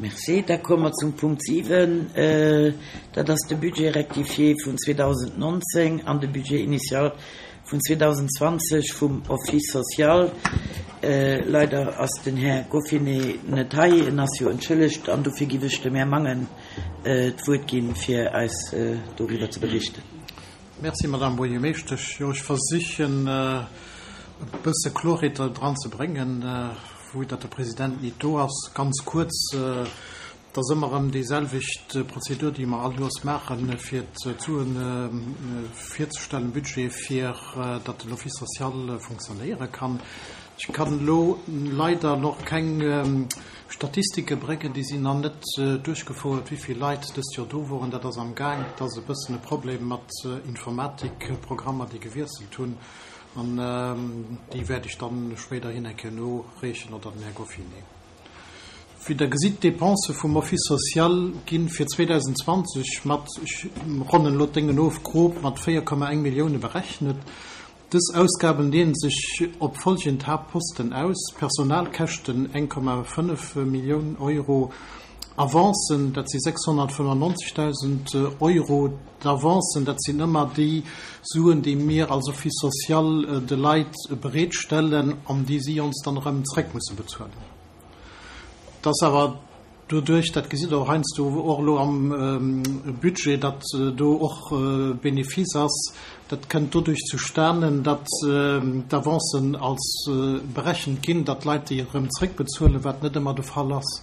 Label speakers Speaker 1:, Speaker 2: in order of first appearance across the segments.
Speaker 1: Merci. Da komme mer zum Punkt 7. Dat ass de Budget rectifié vun 2019 an de Budget initial vun 2020 vum Office social. Leider ass den Här Goffinet net hei, en ass jo entschëllegt, an dofir giff ech dem Här Mangen d'Wuert ginn, fir eis doriwwer ze berichten.
Speaker 2: Merci, Madame Buergermeeschtesch. Jo, ech versichen e bësse Klorheet dran ze bréngen, vu datt de President nit do ass. Ganz kuerz, Et ass ëmmer erëm déiselwecht Prozedur, déi mer all Joers maachen, fir d'Suen virzestellen, Budget, fir datt den Office social funktionéiere kann. Ech kann elo leider nach keng Statistike bréngen, déi sinn nach net duerchgefouert, wéi vill Leit dëst Joer do woren. Dat ass am Gaang. Et ass e bëssen e Problem mat Informatikprogrammer, déi gewiesselt hunn. An déi wäert ech dann spéiderhin eng Kéier noreechen, oder den Här Goffinet. Wéi Der gesitt, d'Dépensë vum Office social gi fir 2020 mat, ech ronnen elo d'Déngen of, grob mat 4,1 Millioune berechnet. Dës Ausgaben leeën sech op folgend Haaptposten aus, Personalkäschten, 1,5 Millioun Euro, Avancen, dat si 695.000 Euro. D'Avancen, dat sinn ëmmer déi Suen, déi mir als Office social de Leit bereetstellen an déi si ons dann erëm zréck musse bezuelen. Et ass awer doduerch, dat gesitt Der och heiansdo och elo am Budget, datt do och Benefice ass, dat kënnt doduerch zustanen, datt d'Avancen als berechent ginn, datt d'Leit déi erëm zréckbezuelen, wat net ëmmer de Fall ass.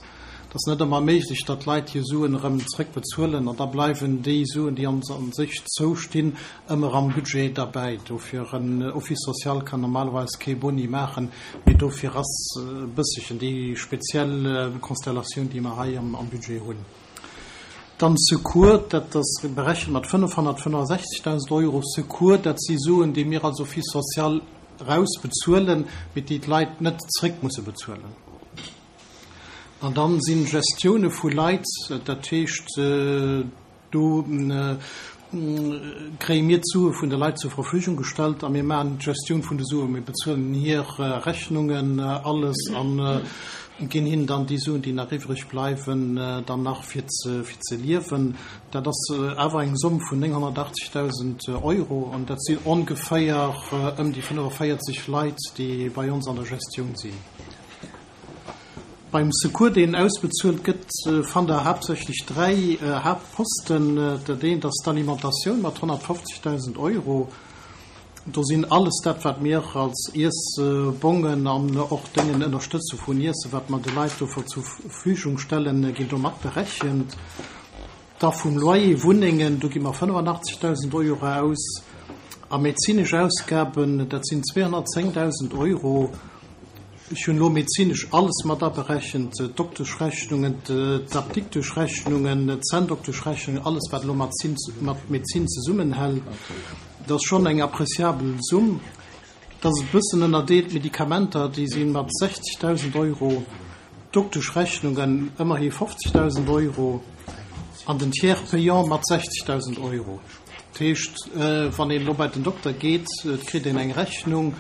Speaker 2: Et ass net ëmmer méiglech, datt d'Leit hir Suen erëm zréckbezuelen an da bleiwen déi Suen, déi ons a sech zoustinn, ëmmer am Budget derbäi. Dofir, en Office social kann normalerweis kee Boni maachen, mee dofir ass e bësselchen déi speziell Konstellatioun, déi mer hei am Budget hunn. Dann Secours, dat ass berechent mat 565.000 Euro. Secours, dat si Suen, déi mir als Office social erausbezuelen, mee déi d'Leit net zréck musse bezuelen. An dann sinn Gestioune vu Leit, dat heescht do kréie mir d'Sue vun de Leit zur Verfügung gestallt a mir maachen d'Gestioun vun de Suen. Mir bezuelen hir Rechnungen, alles a ginn hinnen dann déi Suen, déi nach iwwreg bleiwen, dann nach fir ze liewen. Dat ass awer eng Somm vun 980.000 Euro an dat sinn ongeféier ëm déi 45 Leit, déi bei ons an der Gestioun sinn. Beim Secours, deen ausbezuelt gëtt, fannt Der haaptsächlech 3 Haaptposten. Dat eent ass d'Alimentatioun mat 150.000 Euro. Do sinn alles dat, wat mir als Iessbongen an och Déngen ënnerstëtze vun Iessen, wat mer de Leit do zur Verfügung stellen, ginn do mat berechent. Da vum Loyer, Wunnengen, do gi mer 85.000 Euro aus. A medezinesch Ausgaben, dat sinn 210.000 Euro. Ech hunn elo medezinesch alles mat aberechent, d'Dokteschrechnungen, d'Apdikteschrechnungen, d'Zänndokteschrechnungen, alles wat elo mat Medezin zesummenhält. Dat ass schonn eng appréciabel Summ. Dat ass e bëssen ënnerdeelt, d'Medikamenter, déi si mat 60.000 Euro, d'Dokteschrechnungen ëmmerhi 50.000 Euro an den Tiers payant mat 60.000 Euro. Dat heescht, wann een elo bei den Dokter geet, et kritt een eng Rechnung,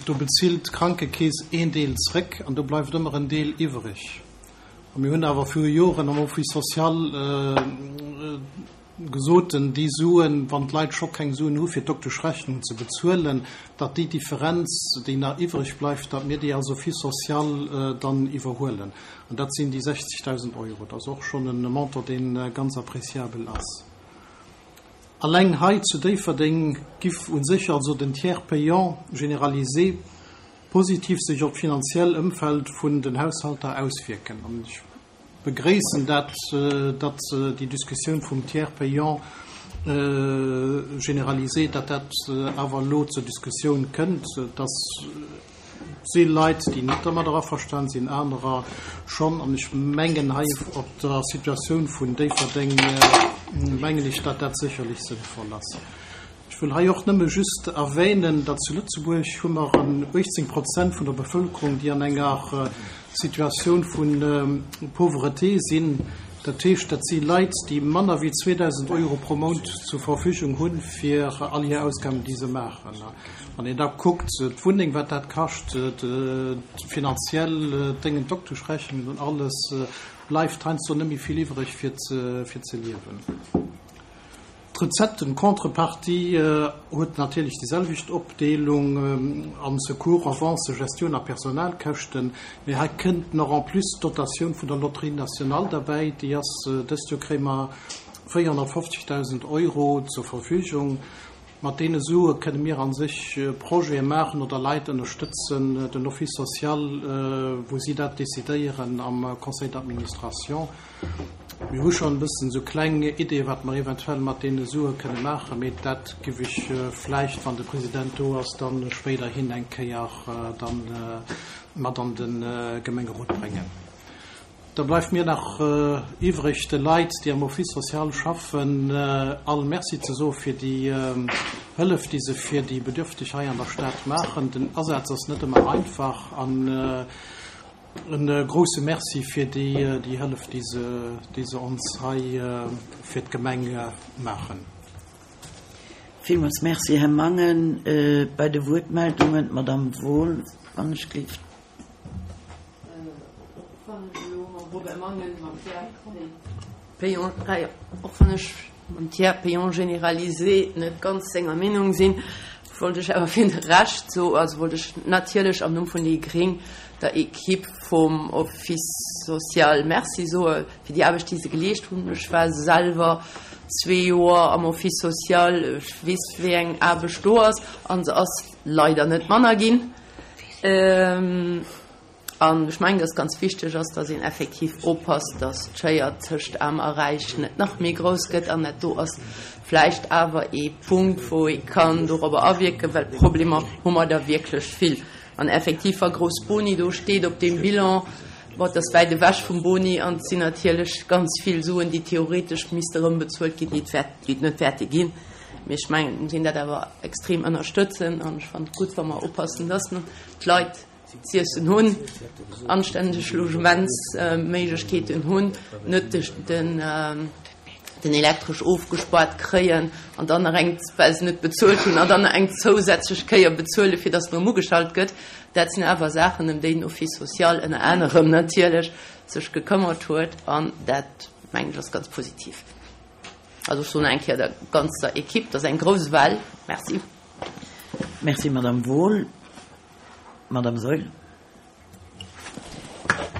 Speaker 2: Do bezilt d'Krankekeess een Deel zréck an do bleift ëmmer en Deel iwwreg. A mir hunn awer viru Joren am Office social gesot, déi Suen, wann d'Leit scho keng Suen hu fir d'Dokteschrechnung ze bezuelen, datt déi Differenz, déi nach iwwreg bleift, datt mir déi als Office social dann iwwerhuelen. An dat sinn déi 60.000 Euro. Dat ass och schonn e Montant, dee ganz appréciabel ass. Alleng hei zu Déifferdeng giff u sech also den Tiers payant généralisé positiv sech op d'finanziell Ëmfeld vun den Haushalter auswierken. An ech begréissen dat, datt déi Diskussioun vum Tiers payant généralisé, datt dat awer elo zur Diskussioun kënnt, dass Si Leit, déi net dermadder averstan sinn, anerer schonn. An ech mengen, hei op der Situatioun vun Déifferdeng mengen ech, datt dat sécherlech sënnvoll ass. Ech wëll hei och nëmme just erwänen, datt zu Lëtzebuerg hu mer 18 Prozent vun der Bevëlkerung, déi an enger Situatioun vu Pauvreté sinn. Dat heescht, dat si Leit, déi manner wéi 2.000 Euro pro Mount zur Verfügung hunn, fir all hir Ausgaben, déi se maachen. Wann een da kuckt, d'Wunneng, wat dat kascht, finanziell, d'Déngen, d'Dokteschrechnungen und alles, bleift heiansdo net méi vill iwwreg, fir ze liewen. D'Recetten, Contrepartie huet natierlech déi selwecht Opdeelung an Secours, Avancen, Gestioun a Personalkäschten. Mee hei kënnt nach en plus d'Dotatioun vun der Loterie nationale derbäi. Déi ass, dëst Joer kréie mer 450.000 Euro zur Verfügung. Mat deene Sue kënne mir a sech Projete maachen oder Leit ënnerstëtzen, den Office social, wou si dat decidéieren am Conseil d'administration. Mir hu schonn e bëssen esou kleng Ideeë wat mer eventuell mat deene Sue kënne maachen, mee dat giff ech vläicht, wann de President do ass, dann spéiderhin eng Kéier dann mat an de Gemengerot bréngen. Da bleift mir nach iwwreg de Leit, déi am Office social schaffen, all Merci ze soe fir déi Hëllef, déi se fir déi Bedürfteg hei an der Stad maachen. Den Asaz ass net ëmmer einfach an E grousse Merci fir déi Hëllef, déi se ons hei fir d'Gemeng maachen.
Speaker 1: Villmools Merci, Här Mangen. Bei de Wuertmeldungen, d'Madame Wohl, wann ech gelift.
Speaker 3: Och wann ech elo mam Robert Mangen, mam Pierre Peyon, och wann ech mam Tiers payant généralisé net ganz senger Meenung sinn, wollt ech awer fir de Rescht soen, also wollt ech natierlech am Numm vun déi gréng der Equipe vum Office social Merci soe fir déi Aarbecht, déi se geleescht hunn. Ech war selwer zwee Joer am Office social, ech weess, wéi eng Aarbecht do ass, a se ass leider net manner ginn. An ech mengen, dass ganz wichteg ass, dass een effektiv oppasst, dass d'Schéier tëscht Aarm a Räich net nach méi grouss gëtt. An dat do ass vläicht awer ee Punkt, wou ee kann dorobber awierken, well Problemer hu mer der wierklech vill. An effektiv, wa grouss Boni do steet op deem Bilan, bon, et ass wäit ewech vum Boni an et sinn natierlech ganz vill Suen, déi theoretesch misste erëmbezuelt ginn, déi et net wäerte ginn. Mee ech mengen, et muss een dat awer extrem ënnerstëtzen an ech fannen et gutt, wa mer oppassen, dass mer d'Leit, z'iessen hunn, anstänneg Logementsméiglechkeeten hunn, net den Elektresch ofgespaart kréien an dann nach eng, well se net bezuelt hunn, an dann nach eng zousätzlech Kéier bezuelen, fir datt en erëm ugeschalt gëtt. Dat sinn awer Saachen, ëm déi den Office social ënner anerem natierlech sech gekëmmert huet, an dat, mengen ech, ass ganz positiv. Also ech soen nach eng Kéier der ganzer Equipe, dat ass eng grouss Well, Merci.
Speaker 1: Merci, Madame Wohl. Madame Saeul.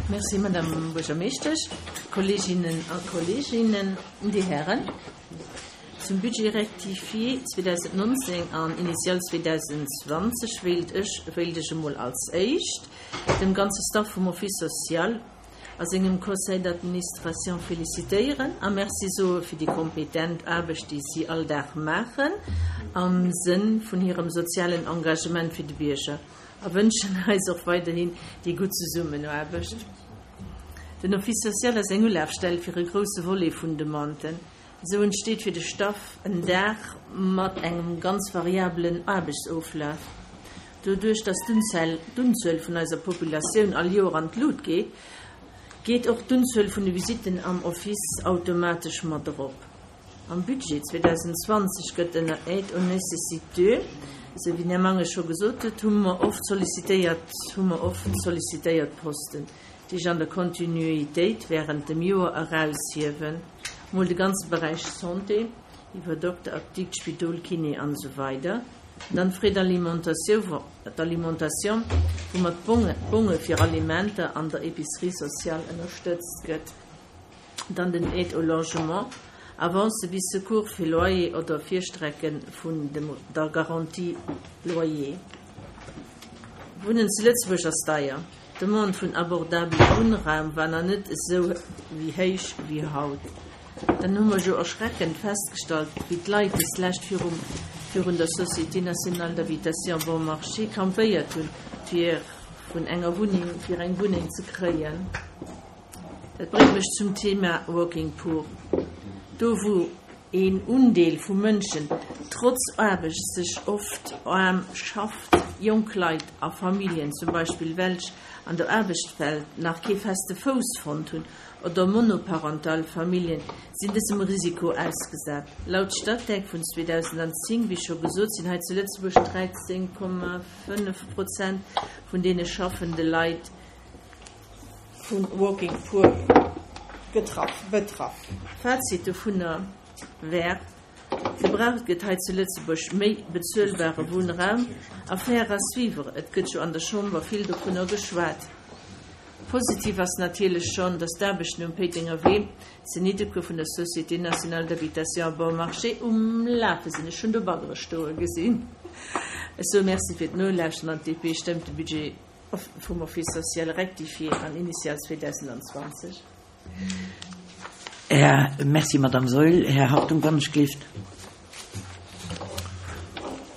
Speaker 4: Merci, Madame Buergermeeschtesch, Kolleeginnen a Kolleeginnen, Dir Hären. Zum Budget rectifié 2019 an initial 2020 wéilt ech wéilt ech emol als éischt dem ganze Staff vum Office social a sengem Conseil d'administration félicitéieren a Merci soe fir déi kompetent Aarbecht, déi si all Dag maachen am Sënn vun hirem sozialen Engagement fir de Bierger a wënschen eis och weiderhin déi gutt Zesummenaarbecht. Den Office social ass eng Ulafstell fir e grousse Volet vun Demanden. Esou entsteet fir de Staff en Dag mat engem ganz variabelen Aarbechtsoflaf. Doduerch dass d'Unzuel vun eiser Populatioun all Joer an d'Lut geet, geet och d'Unzuel vun de Visitten am Office automatesch mat erop. Am Budget 2020 gëtt ënner Aide aux nécessiteux, esou wéi den Här Mangen scho gesot huet, hu mer oft sollicitéiert, hu mer oft sollicitéiert Posten, déi ech an der Kontinuitéit während dem Joer eraushiewen. Mol de ganze Beräich Santé, iwwer Dokter, Apdikt, Spidol, Kiné an esou weider. Dann d'Frais d'alimentation, d'alimentation, woumat d'Bonge fir Alimenter an der Épicerie sociale ënnerstëtzt gëtt. Dann den Aide au logement, Avance bis Secours fir Loyer oder Virstrecke vun der Garantie loyer. Wunnen zu Lëtzebuerg ass deier. D'Demande vun abordabele Wunnraum war nach net esou wéi héich wéi haut. Dann hu mer jo erschreckend festgestallt, wéi d'Leit deslescht virum virun der Société nationale d'habitation Bon Marché campéiert hunn, fir vun enger Wunneng fir eng Wunneng ze kréien. Dat bréngt mech zum Thema Working Poor. Do wou een Undeel vu Mënschen trotz Aarbecht sech oft aarm schafft. Jonk Leit a Familljen zum Beispill welch an der Aarbechtswelt nach kee feste Fouss fonnt hunn, oder monoparental Familljen, sinn dësem Risiko ausgesat. Laut Statec vun 2010, wéi scho gesot, sinn hei zu Lëtzebuerg 13,5 Prozent vun deene schaffende Leit vu Working Poor getraff, betraff. Fazit dovunner wär, Gebraucht gëtt hei zu Lëtzebuerg méi bezuelbare Wunnraum. Affaire à suivre, et gëtt jo an der Chamber vill dovunner geschwat. Positiv ass natierlech schonn, datt d'Aarbechten um Péitenger Wee zu Niddekuer vun der Société nationale d'habitation à bon marché um Lafe sinn. Ech hunn do Baggere stoe gesinn. Ech soe Merci fir d'Nolauschteren an d'DP stëmmt de Budget vum Office social rectifié an initial 2020.
Speaker 1: Här, Merci, Madame Saeul. Här Hartung, wann ech gleeft.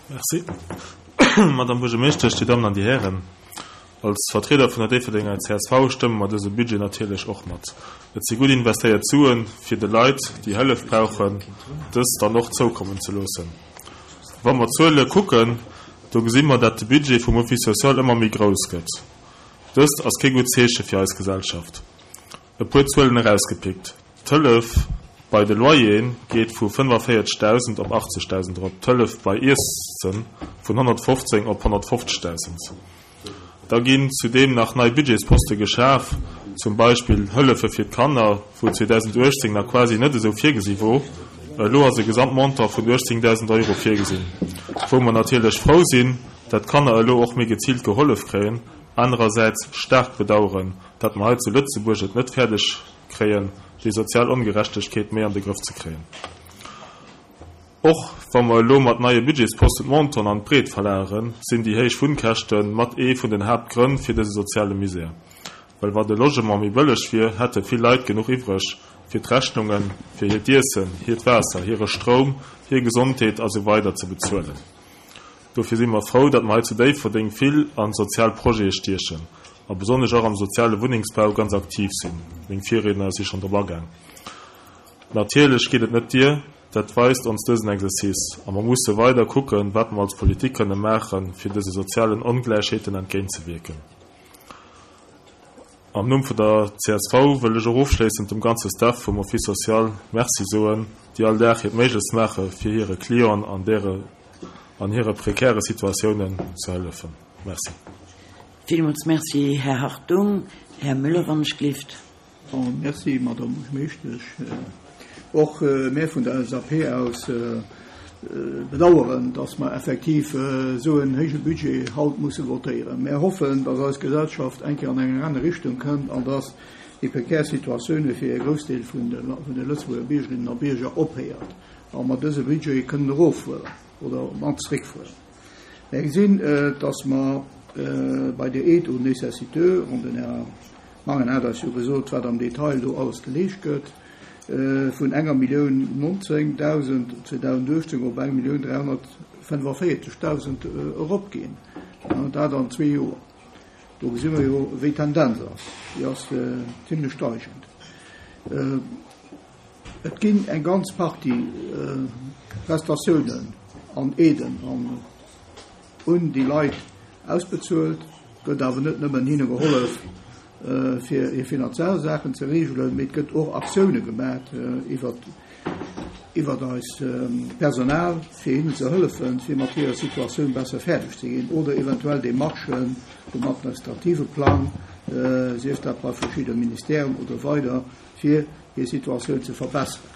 Speaker 5: Merci, Madame Buergermeeschtesch, Dir Dammen an Dir Hären. Als Vertrieder vun der Déifferdenger csv stëmme mer dëse Budget natierlech och mat. Et si gutt investéiert Suen, fir de Leit, déi Hëllef brauchen, dës dann och zoukommen ze loossen. Wa mer d'Zuele kucken, do gesi mer, dat de Budget vum Office social ëmmer méi grouss gëtt. Dëst ass kee gutt Zeeche fir eis Gesellschaft. E puer Zuelen erausgepickt, D'Hëllef bei de Loyere geet vu 45.000 op 80.000 erop, d'Hëllef bei Iesse vun 115 op 150.000. Da ginn zudeem nach nei Budgetsposte geschaf, zum Beispill Hëllefe fir d'Kanner, wou 2018 nach quasi net esou virgesi wor. Elo ass e Gesamtmontant vun 18.000 Euro virgesinn, wou mer natierlech frou sinn, dat d'Kanner elo och méi geziilt gehollef kréien, anerersäits staark bedaueren, dat mer hei zu Lëtzebuerg et net fäerdeg kréien, déi sozial Ongerechtegkeet méi an de Grëff ze kréien. Och wa mer elo mat neie Budgetsposten d'Montanten an d'Breet verlageren, sinn déi héich Wunnkäschte mat ee vun den Haaptgrënn fir dëse soziale Misär. Well wa de Logement méi bëlleg wier, hätte vill Leit genuch iwwreg, fir d'Rechnunge fir hiert Iessen, hiert Waasser, hire Stroum, hir Gesondheet a sou weider ze bezuelen. Dofir si mer frou, datt mer hei zu Déifferdeng vill a sozial Projete stiechen a besonnesch och am soziale Wunnengsbau ganz aktiv sinn. Meng Virriedner si schonn drop agaang. Natierlech geet et net dier, dat weist ons dësen Exercice. A mer musse weider kucken, wat mer als Politik kënne maachen, fir dëse sozialen Ongläichheeten entgéintzewierken. Am Numm vun der csv wëll ech och ofschléissend dem ganze Staff vum Office social Merci soen, déi all Dag hiert Méiglechst maache fir hire Clienten an dere an hire prekäre Situatiounen ze hëllefen. Merci.
Speaker 1: Villmools Merci, Här Hartung. Här Müller, wann ech gleeft.
Speaker 6: Merci, Madame Buergermeeschtesch. Och mär vun der LSAP aus bedauern, dass mer effektiv esou en héije Budget haut musse votéieren. Mär hoffen, dass eis Gesellschaft eng Kéier an eng aner Richtung kënnt an dass déi prekär Situatioune fir e Groussdeel vun de Lëtzebuerger Biergerinnen a Bierger ophéiert a mer dëse Budget kënnen eroffueren oder op d'mannst zréckfueren. Mär gesinn, dass mer bei der Aide aux nécessiteux, an den Här Mangen hat eis jo gesot, wat am Detail do alles geleescht gëtt, vun enger Millioun 19.000 2018 op 1.345.000 eropginn, dat an zwee Joer. Do gesi mer jo, wéi d'Tendenz ass. Déi ass zimlech steigend. Et ginn eng ganz Partie Prestatiounen an Aiden an un déi Leit ausbezuelt, gëtt awer net nëmmen hinne gehollef, fir hir finanziell Saachen ze reegelen, mee et gëtt och Aktioune gemat iwwert iwwert eis Personal, fir hinnen ze hëllefen, fir mat hirer Situatioun besser fäerdeg ze ginn oder eventuell Demarchen um administrative Plang, sief dat bei verschidde Ministèren oder weider, fir hir Situatioun ze verbesseren.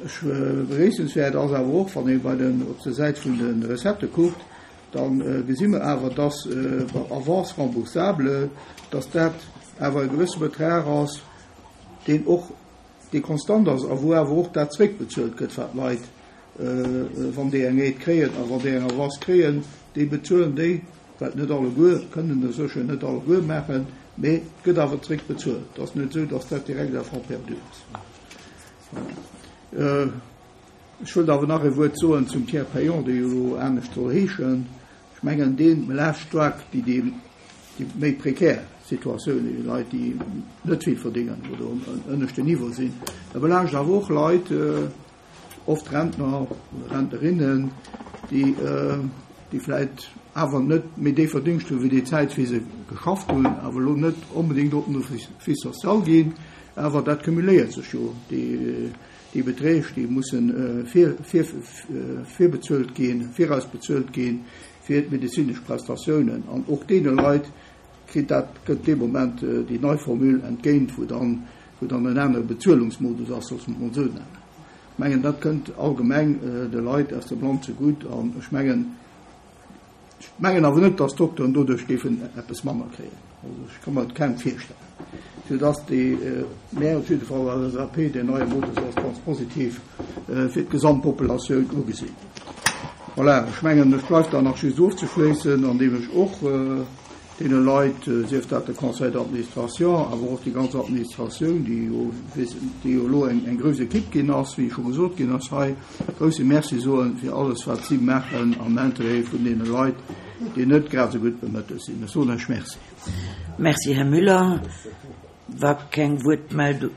Speaker 6: Ech begréissenswäert ass awer och, wann ee bei den, op der Säit vun de Recettë kuckt, da gesi mer awer, dass bei Avances remboursables, dass dat awer e gewësse Betrag ass, deen och, dee konstant ass a wou awer och dat zréckbezuelt gëtt, wat d'Leit, wann déi eng Aide kréien a wann déi eng Avance kréien, déi bezuelen déi. Wat net alleguer, kënnen e sécher net alleguer maachen, mee et gëtt awer zréck bezuelt. Et ass net esou, datt dat direkt à fonds perdu ass. Voilà. Ech wëllt awer nach e Wuert soen zum Tiers payant, dee jo elo anescht soll heeschen. Ech mengen, dee belaascht staark déi, déi méi prekär Situatioun, déi Leit, déi net vill verdéngen oder um ënneschten Niveau sinn. E belaascht awer och Leit, oft Rentner oder Rentnerinnen, déi. déi vläit awer net méi dee Verdingscht hu wéi déi Zäit, wéi se geschafft hunn, awer elo net onbedéngt op den Office social ginn. Awer dat cumuléiert sech jo, déi Beträg, déi mussen virbezuelt ginn, virausbezuelt ginn fir d'medezinesch Prestatiounen. An och deene Leit kritt dat, kënnt dee Moment déi nei Formule entgéint, wou dann, wou dann en anere Bezuelungsmodus ass, loosse mer et mol esou nennen. Ech mengen, dat kënnt allgemeng de Leit aus dem Land zegutt. An ech mengen, ech mengen awer net, dass d'Dokteren doduerch géifen eppes manner kréien. Also ech ka mer et kaum virstellen. Fir dass déi, mär op jidde Fall als LSAP, deen neie Modus als ganz positiv fir d'Gesamtpopulatioun ugesinn. Voilà, ech mengen, ech bleift dann nach just ofzeschléissen, andeem ech och deene Leit, sief dat de Conseil d'administration, awer och déi ganz Administratioun, déi jo, déi jo elo eng, eng grouss Equipe ginn ass, wéi scho gesot ginn ass hei, grousse Merci soen fir alles, wat si maachen am Interêt vun deene Leit, déi net grad esou gutt bemëttelt sinn. Ech soen lech Merci.
Speaker 1: Merci, Här Müller. Wa keng Wuertmeldung.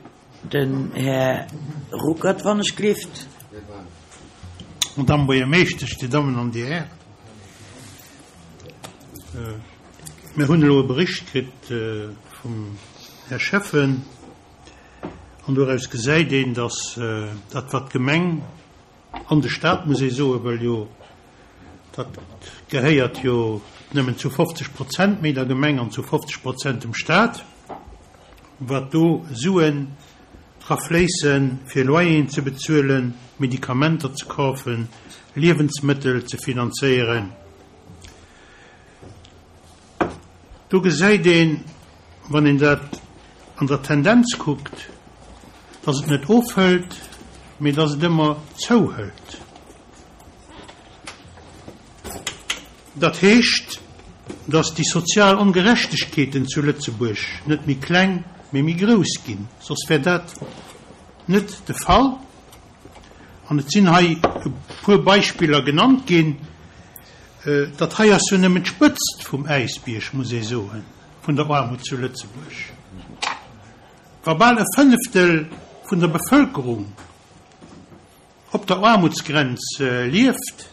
Speaker 1: Den Här Ruckert, wann ech glift.
Speaker 7: Madame Buergermeeschtesch, Dir Dammen an Dir Hären, mir hunn elo e Bericht kritt vum Här Schäffen an doraus gesäit een, dass dat wat d'Gemeng an de Stat, muss ee soen, well jo dat gehéiert jo nëmmen zu 50 Prozent méi der Gemeng an zu 50 Prozent dem Stat, wat do Suen dra fléissen, fir Loyeren ze bezuelen, Medikamenter ze kaufen, Liewensmëttel ze finanzéieren. Do gesäit een, wann een dat an der Tendenz kuckt, dass et net ofhëlt, mee dass et ëmmer zouhëlt. Dat heescht, dass déi sozial Ongerechtegkeeten zu Lëtzebuerg net méi kleng, mee méi grouss ginn. Soss wär dat net de Fall. An et sinn hei e puer Beispiller genannt ginn. Dat hei ass jo nëmmen d'Spëtzt vum Äisbierg, muss ee soen, vun der Aarmut zu Lëtzebuerg. Wa bal e Fënneftel vun der Bevëlkerung op der Aarmutsgrenz lieft,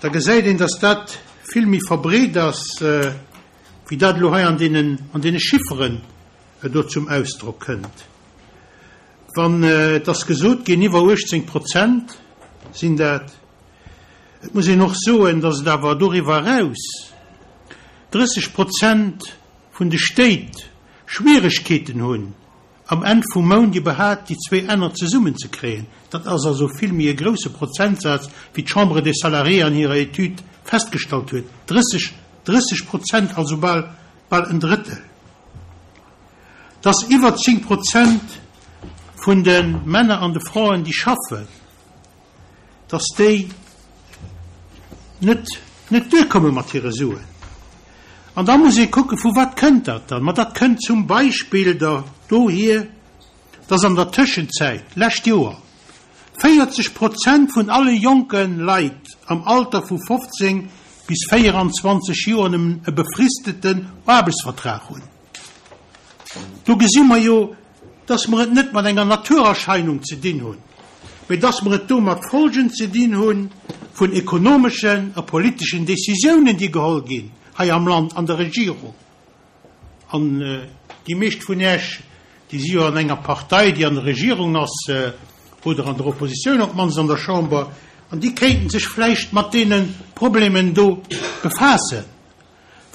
Speaker 7: da gesäit een, dass dat vill méi verbreet ass, wéi dat elo hei an deenen, an deene Chifferen do zum Ausdrock kënnt. Wann, et ass gesot ginn, iwwer 18 Prozent sinn dat. Et muss een och soen, datt et awer doriwwer eraus 30 Prozent vun de Stéit Schwieregkeeten hunn, am Enn vum Mount iwwerhaapt déi zwee Enner zesummenzekréien. Dat ass also vill méi e grousse Prozentsaz, wéi d'Chambre des Salariés an hirer Etüd festgestallt huet, 30, 30 Prozent, also bal, bal en Drëttel. Datt iwwer 10 Prozent vun de Männer an de Fraen, déi schaffen, dass déi net net duerkomme mat hire Suen. An da muss ee kucken, vu wat kënnt dat dann? Ma dat kënnt zum Beispill der dohier, dass an der Tëschenzäit, lescht Joer, 40 Prozent vun alle jonke Leit am Alter vu 15 bis 24 Joer nëmmen e befristeten Aarbechtsvertrag hunn. Do gesi mer jo, dass mer et net mat enger Naturerscheinung ze dinn hunn, mee dass mer et do mat Folgen ze dinn hu vun ekonomeschen a politeschen Décisiounen, déi geholl ginn hei am Land an der Regierung. An déi meescht vun Iech, déi si jo an enger Partei, déi an der Regierung ass oder an der Oppositioun, op d'mannst an der Chamber, an déi kéinten sech vläicht mat deene Problemen do befaassen.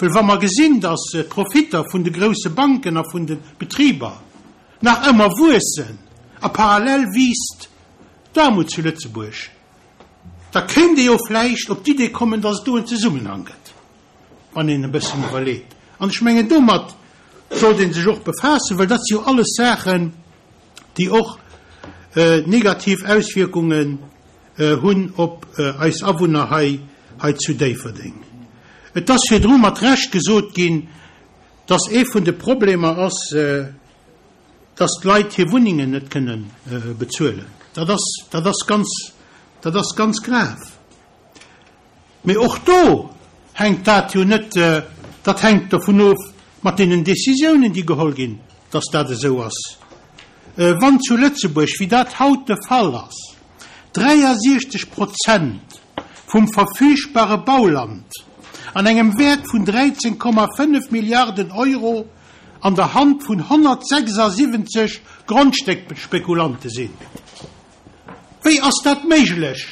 Speaker 7: Well wa mer gesinn, datt d'Profitter vun de grousse Banken a vun de Betriber nach ëmmer wuessen a parallel wiisst d'Aarmut zu Lëtzebuerg, da kéint ee jo vläicht op d'Idee kommen, datt et do en Zesummenhang gëtt, wann een e bëssen iwwerleet. An ech mengen, domat sollt ee sech och befaassen, well dat si jo alles Saachen, déi och negativ Auswierkungen hunn op eis Awunner hei hei zu Déifferdeng. Et ass virdru mat Recht gesot ginn, dass ee vun de Problemer ass, dass d'Leit hir Wunnengen net kënne bezuelen. Dat ass, dat ass ganz, dat ass ganz grav. Mee och do hänkt dat jo net, dat hänkt dovun of mat deenen Décisiounen, déi geholl ginn, dass dat esou ass. Wann zu Lëtzebuerg, wéi dat haut de Fall ass, 63 Prozent. vum verfügbare Bauland an engem Wäert vun 13,5 Milliarden Euro an der Hand vun 176 Grondstéckspekulante sinn. Wéi ass dat méiglech,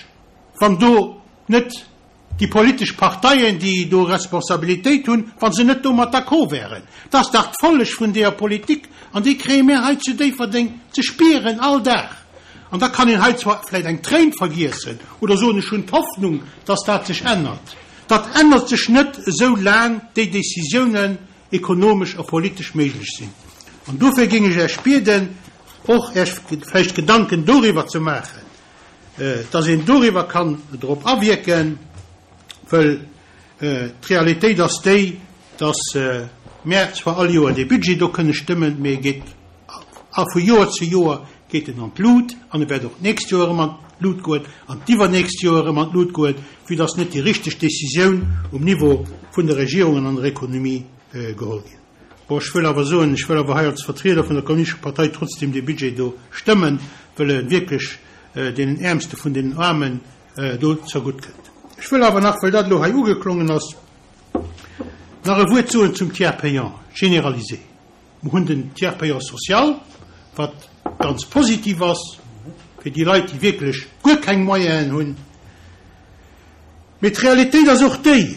Speaker 7: wann do net déi politesch Parteien, déi do Responsabilitéit hunn, wa se net domat d'accord wären? Dat ass dach d'Folleg vun deeër Politik, an déi kréie mir hei zu Déifferdeng ze spieren all Dag. An da kann een hei zwar vläicht eng Tréin vergiessen oder soen, ech hunn d'Hoffnung, dass dat sech ännert. Dat ännert sech net, esou laang déi Décisiounen ekonomesch a politesch méiglech sinn. An dofir géing ech Iech bieden, och Iech vläicht Gedanken doriwwer ze maachen, dass een doriwwer kann drop awierken, wëll d'Realitéit ass déi, dass mär zwar all Joer dee Budget do kënne stëmmen, mee e geet a vu Joer zu Joer geet en an d'Lut an e wäert och d'nächst Joer erëm an d'Lut goen an d'iwwernächst Joer erëm an d'Lut goen, vue dass net déi richteg Décisioun um Niveau vun der Regierung an an der Ekonomie geholl ginn. Bon, ech wëll awer soen, ech wëll awer hei als Vertrieder vun der Kommunistescher Partei trotzdem dee Budget do stëmmen, wëll e wierklech deenen Äermste vun deenen Aarmen do zergutt kënnt. Ech wëll awer nach, well dat elo hei ugeklongen ass, nach e Wuert soen zum Tiers payant généralisé. Mer hunn den Tiers payant social, wat ganz positiv ass fir déi Leit, déi wierklech guer keng Moyenen hunn. Mee d'Realitéit ass och déi,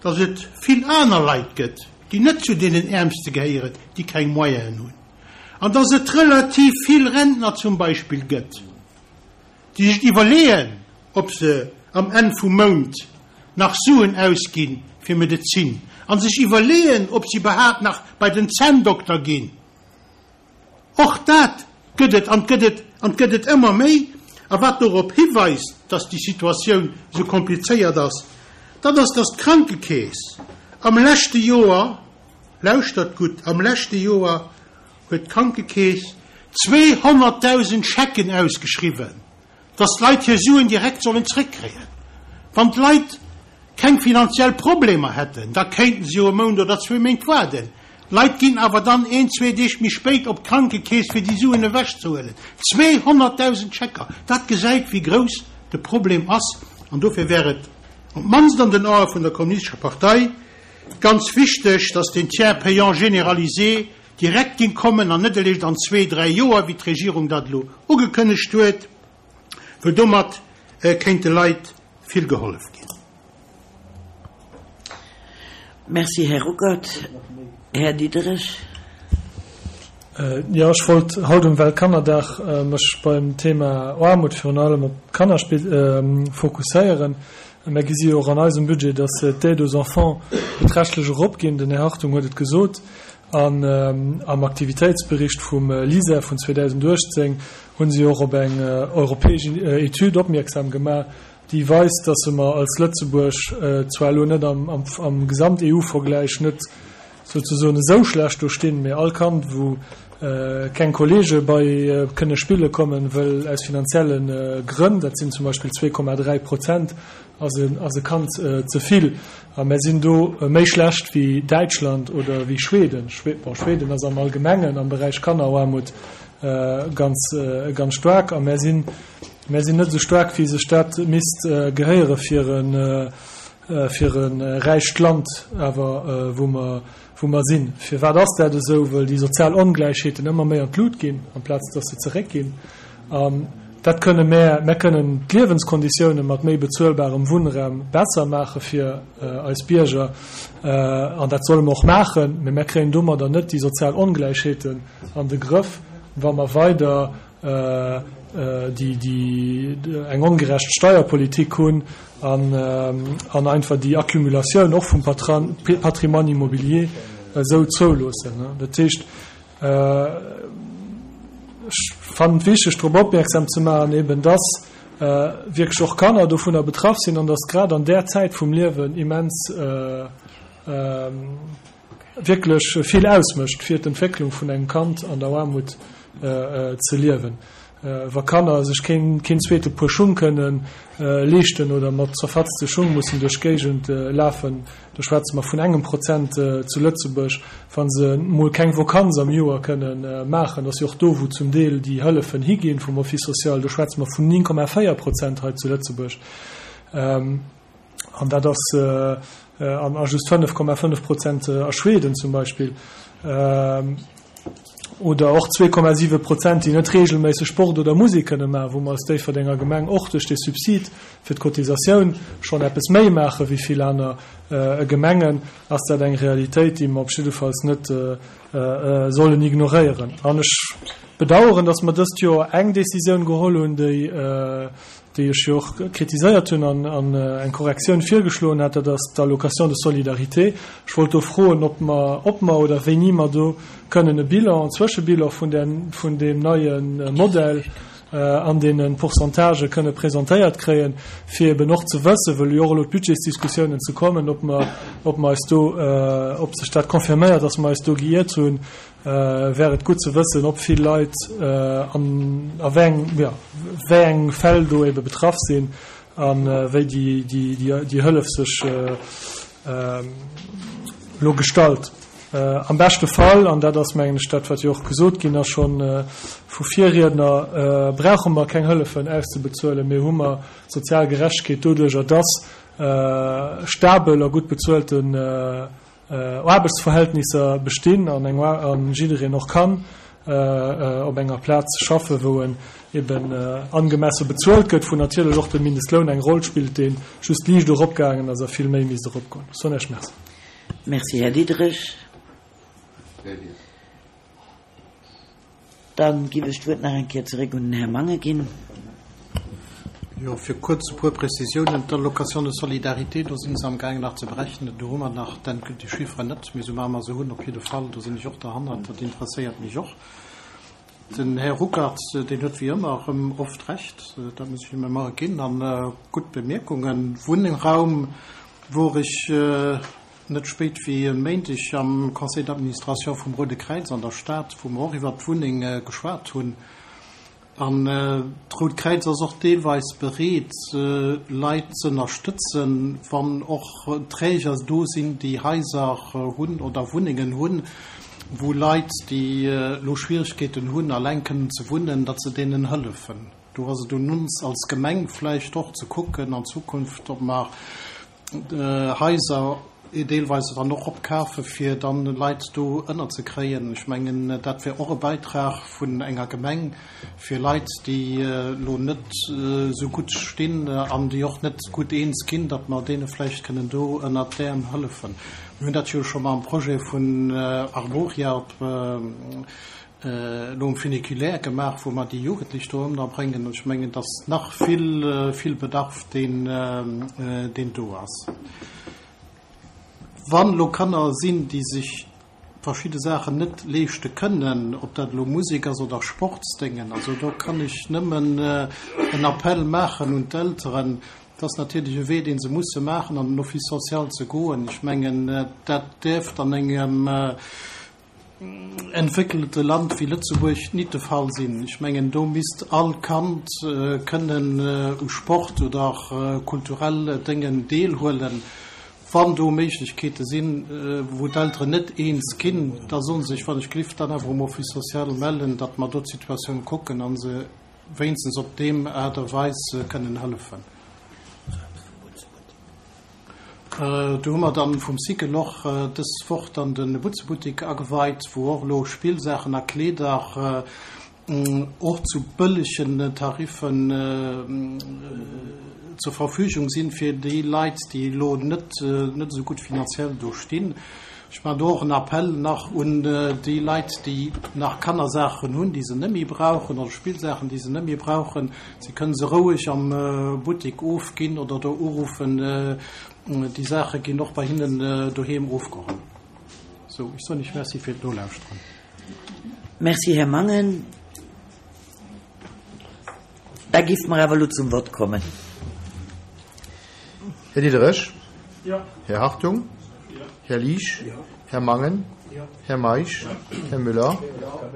Speaker 7: dass et vill aner Leit gëtt, déi net zu deenen Äermste gehéieren, déi keng Moyenen hunn, an dass et relativ vill Rentner zum Beispill gëtt, déi sech iwwerleeën, ob se am Enn vum Mount nach Suen ausgi fir Medezin, a sech iwwerleeën, ob se iwwerhaapt nach bei den Zänndokter ginn. Och dat gëtt et, an gëtt et, an gëtt et ëmmer méi. A wat dorop hiweist, dass déi Situatioun esou komplizéiert ass, dat ass, dass d'Krankekeess am leschte Joer, lauschtert gutt, am leschte Joer huet d'Krankekeess 200.000 Schecken ausgeschriwwen, dass d'Leit hir Suen direkt sollen zréckkréien. Wann d'Leit keng finanziell Problemer hätten, da kéinten se jo e Mount oder zwee Méint waarden. D'Leit ginn awer dann een, zwee Deeg méi spéit op d'Krankekeess, fir déi Suen ewechzehuelen. 200.000 Schecker, dat gesäit, wéi grouss de Problem ass. An dofir wär et, op d'mannst an den Ae vun der Kommunistescher Partei, ganz wichteg, dass deen Tiers payant généralisé direkt géing kommen an net eréischt an zwee, dräi Joer, wéi d'Regierung dat elo ugekënnegt huet, well domat kéint de Leit vill gehollef ginn.
Speaker 1: Merci, Här Ruckert. Här Diderich.
Speaker 8: Jo, ech wollt haut um Weltkannerdag mech beim Thema Aarmut virun allem op d'Kanner fokusséieren. Mer gesi jo och an eisem Budget, dass d'Aide aux enfants beträchtlech eropginn. Den Här Hartung huet et gesot. An am Aktivitéitsbericht vum LISER vun 2018 hu si och op eng europäesch Etüd opmierksam gemaach, déi weist, dass mer als Lëtzebuerg zwar elo net am Gesamt-EU-Vergläich net souzesoen esou schlecht do stinn, mee all Kand, wou keng Kollege bei kënne spille kommen, wëll aus finanzielle Grënn, dat sinn zum Beispill 2,3 Prozent, ass e Kand ze vill. A mär sinn do méi schlecht wéi Däitschland oder wéi Schweden. Bon, Schweden ass am Allgemengen am Beräich Kannerarmut ganz, ganz staark. A mär sinn, mär sinn net esou staark, wéi sech dat misst gehéiere fir e, fir e räicht Land awer, wou mer, wou mer sinn. Firwat ass dat esou? Wëll déi sozial Ongläichheeten ëmmer méi an d'Lut ginn, amplaz datt se zeréckginn. An dat kënne mär, mär kënnen d'Liewenskonditioune mat méi bezuelbarem Wunnraum besser maache fir eis Bierger, an dat solle mer och maachen, mä mär kréien domadder net déi sozial Ongläichheeten an de Grëff, wa mer weider déi eng ongerecht Steierpolitik hunn an einfach déi Accumulatioun och vum Patrimoine immobilier esou zouloossen. Dat heescht, ech fannen et wichteg, drop opmierksam ze maachen, eben dass wierklech och Kanner dovunner betraff sinn an dass grad an där Zäit vum Liewen immens wierklech vill ausmécht fir d'Entwécklung vun engem Kand an der Aarmut ze liewen. Wa Kanner sech keen keen zweete Puer Schung kënne leeschten oder mat zerfatzte Schung mussen duerch d'Géigend lafen, do schwätze mer vun engem Prozent zu Lëtzebuerg, wa se mol keng Vokanz am Joer kënne maachen, dat ass jo och do wou zum Deel déi Hëllefen higinn vum Office social, do schwätze mer vun 9,4 Prozent hei zu Lëtzebuerg. An dat ass a just 5,5 Prozent a Schweden zum Beispill. Oder och 2,7 Prozent, déi net reegelméisseg Sport oder Musek kënne maachen, wou mer als Déifferdenger Gemeng och duerch dee Subsid fir d'Cotisatioun schonn eppes méi maache wéi vill aner Gemengen, ass dat eng Realitéit, déi mer op jiddefalls net sollen ignoréieren. An ech bedauern, dass mer dëst Joer eng Décisioun geholl hunn, déi, déi ech jo och kritiséiert hunn an an eng Korrektioun virgeschloen hat, dat ass d'Allocation de solidarité. Ech wollt do froen, ob mer, ob mer oder wéini mer do kënnen e Bilan, en Zwëschebilan vun där, vun deem neie Modell an deene Pourcentagë kënne presentéiert kréien, fir eben och ze wëssen, wëll jo och elo d'Budgetsdiskussiounen ze kommen, ob mer, ob mer eis do, ob sech dat confirméiert, dass mer eis do geiert hunn, wär et gutt ze wëssen, ob vill Leit an a wéi eng, jo, wéi eng Fäll do ebe betraff sinn a wéi déi, déi, déi Hëllef sech elo gestalt. Am beschte Fall, an dat ass, mengen ech, dat, wat jo och gesot ginn ass scho vu Virriedner, brauche mer keng Hëllefen auszebezuelen, mee hu mer sozial Gerechtegkeet doduerjer, dass stabel a gutt bezuelten Aarbechtsverhältnisser bestinn an eng an jiddereen och kann op enger Plaz schaffen, wou en eben angemesse bezuelt gëtt, wou natierlech och de Mindestloun eng Roll spillt, dee just liicht eropgaangen ass a vill méi misst eropgoen. Soen Iech Merci.
Speaker 1: Merci, Här Diderich. Dann giff ech d'Wuert nach eng Kéier zeréck un den Här Mangen ginn.
Speaker 2: Jo, fir kuerz e puer Prezisiounen. D'Allocation de solidarité, do si se amgaangen nach ze berechnen. Do hu mer nach d'endgültig Chifferen net, mee soubal mer se hunn, op jidde Fall, do sinn ech och derhannert, dat interesséiert mech och. Den Här Ruckert, deen huet wéi ëmmer erëm oft Recht, dat muss ech him ëmmer ginn, a gutt Bemierkungen. Wunnraum wor ech Net spéit wéi e Méindeg am Conseil d'administration vum Roude Kräiz an der Stad, wou mer och iwwert d'Wunneng geschwat hunn. An d'Rout Kräiz ass och deelweis bereet, Leit z'ënnerstëtzen, wann och Träger do sinn, déi Haiser hunn oder Wunnengen hunn, wou Leit, déi elo Schwieregkeeten hunn, alleng kënnen ze wunnen, datt se deenen hëllefen. Do ass et un ons als Gemeng vläicht och ze kucken an Zukunft, ob mer Haiser deelweis dann och opkafe fir dann Leit do ënnerzekréien. Ech mengen, dat wär och e Bäitrag vun enger Gemeng fir Leit, déi elo net esou gutt stinn an déi och net gutt eens ginn, datt mer deene vläicht kënnen do ënnert d'Äerm hëllefen. Mir hunn dat jo scho mam Projet vun Arboria op elo um Funiculaire gemaach, wou mer déi Jugendlech do ënnerbréngen. Ech mengen, et ass nach vill, vill Bedarf, deen, deen do ass. Wann elo Kanner sinn, déi sech verschidde Saachen net leeschte kënnen, ob dat elo Musek ass oder Sportsdéngen, also do kann ech nëmmen en Appell maachen un d'Elteren, Et ass natierlech e Wee, dee se musse maachen, an den Office social ze goen. Ech mengen, dat däerft an engem entwéckelte Land wéi Lëtzebuerg nit de Fall sinn. Ech mengen, do misst all Kand kënnen u Sport oder kulturell Déngen deelhuelen. Wann do Méiglechkeete sinn, wou d'Elteren net eens ginn, da solle se sech, wann ech gelift, dann awer um Office social mellen, datt mer do d'Situatioun kucken a se wéinstens op deem Aart a Weis kënnen hëllefen. Do hu mer dann vum Cycle och dës Woch dann de Butzebuttik ageweit, wou och elo Spillsaachen a Kleeder och zu bëllegen Tariffen zur Verfügung sinn fir déi Leit, déi elo net net esou gutt finanziell do stinn. Ech maachen do och en Appell nach un déi Leit, déi nach Kannersaachen hunn, déi se net méi brauchen, oder Spillsaachen, déi se net méi brauchen. Se kënnen se roueg am Buttek ofginn oder do uruffen. Déi Saache ginn och bei hinnen doheem ofgeholl. Sou, ech soen Iech Merci fir d'Nolauschteren.
Speaker 1: Merci, Här Mangen. Da géife mer awer elo zum Vott kommen.
Speaker 9: Här Diderich?
Speaker 8: Jo.
Speaker 9: Här Hartung?
Speaker 8: Jo.
Speaker 9: Här Liesch?
Speaker 8: Jo.
Speaker 9: Här Mangen?
Speaker 8: Jo.
Speaker 9: Här Meisch? Här Müller?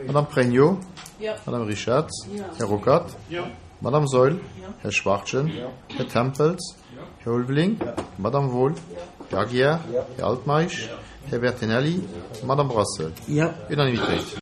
Speaker 9: Madame Pregno?
Speaker 3: Jo.
Speaker 9: Madame Richard?
Speaker 3: Jo.
Speaker 9: Här Ruckert?
Speaker 8: Jo.
Speaker 9: Madame Saeul?
Speaker 3: Jo.
Speaker 9: Här Schwachtgen?
Speaker 8: Jo.
Speaker 9: Här Tempels?
Speaker 8: Jo.
Speaker 9: Här Ulveling?
Speaker 8: Jo.
Speaker 9: Madame Wohl?
Speaker 3: Jo.
Speaker 9: Här Aguiar?
Speaker 8: Jo.
Speaker 9: Här Altmeisch?
Speaker 8: Jo.
Speaker 9: Här Bertinelli?
Speaker 8: Jo.
Speaker 9: Madame Brassel?
Speaker 1: Jo.
Speaker 9: Unanimitéit.